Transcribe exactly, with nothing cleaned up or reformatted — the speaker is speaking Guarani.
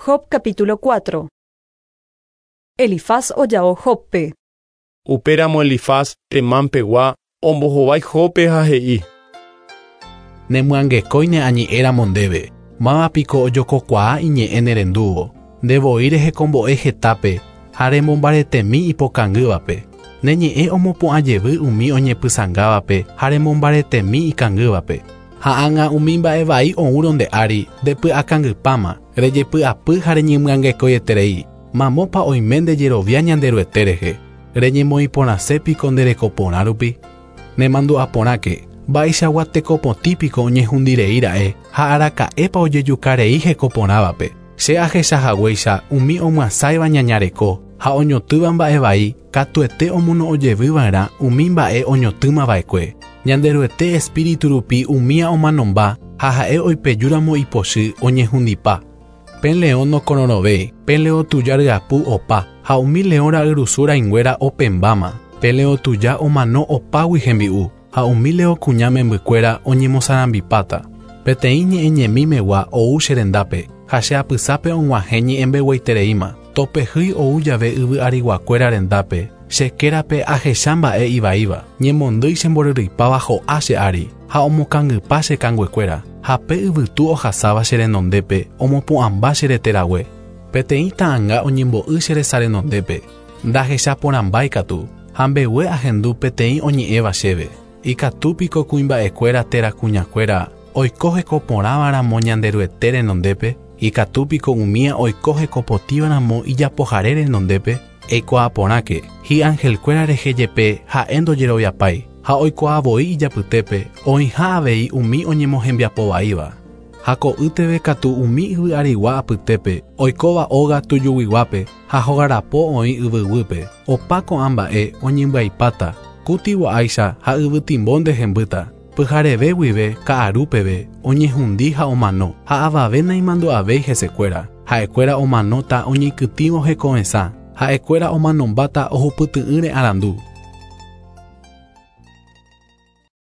Job capítulo cuatro. Elifaz oja'o Jóbpe. Upéramo Elifaz Temán pegua ombohovái Jóbpe ha he'i. Nemyangekói añe'ẽramo ndéve, mávapiko ojokokuaa iñe'ẽ nerendúvo, ndevoi rehekombo'e hetápe ha remombaretemi ipokangývape. Ne ñe'ẽ omopu'ãjevy umi oñepysãngávape ha remombaretemi ikangývape. Ha ág̃a umi mba'e vai oúrõ nde ári ndepy'akangypáma, rejepy'apy ha reñemyangekoieterei. Mamópa oime ndejerovia Ñanderuete rehe, reñemoĩporãsépiko nde rekoporã rupi. Nemandu'aporãke, mba'eichagua tekopotĩpiko oñehundireíra'e ha araka'épa ojejukarei hekoporãvape. Che ahechahaguéicha umi omyasãiva ñañareko ha oñotỹva mba'e vai katuete omono'õjevyva'erã umi mba'e oñotỹmava'ekue. Ñanderuete espíritu rupi umía omanomba ha ha'e oipejúramo ipochy oñehundipa. Pe leõ nokororõvéi, pe leõ tuja ryapu opa ha umi leõ ra'yrusu rãinguéra opẽmbáma. Pe leõ tuja omano opágui hembi'u ha umi leõ kuña membykuéra oñemosarambipáta. Peteĩ ñe'ẽñemimegua ou che rendápe ha che apysápe og̃uahẽ ñe'ẽmbegueitereíma. Topehýi ou jave yvy ariguakuéra rendápe, che kérape ahecha mba'e ivaíva, ñemondýi chemboryrýipáva ho'a che ári ha omokangypa che kanguekuéra, ha pe yvytu ohasáva che renondépe omopu'ãmba che reterague. Peteĩ ta'ãnga oñembo'y che resa renondépe, ndahechaporãmbáikatu ha mbegue ahendu peteĩ oñe'ẽva chéve. Ikatúpiko kuimba'ekuéra térã kuñakuéra oiko hekoporãvaramo Ñanderuete renondépe, ikatúpiko umía oiko hekopotĩvaramo ijapohare renondépe, eikuaaporãke hi'angelkuéra rehe jepe ha'e ndojeroviapái ha oikuaavoi ijapytépe oĩha avei umi oñemohembiapovaíva. Ha ko'ýteve katu umi yvy arigua apytépe oikóva óga tujuguiguápe ha hogarapo oĩ yvyguýpe. Opa ko'ã mba'e oñembyaipáta, kutigua'áicha ha yvytimbo ndehembýta. Pyhareve guive ka'arúpeve oñehundi ha omano ha avave naimandu'avéi hesekuéra. Ha'ekuéra omanóta oñeikytĩvo hekovesã, ha'ekuéra omanombáta ohupyty'ỹre arandu.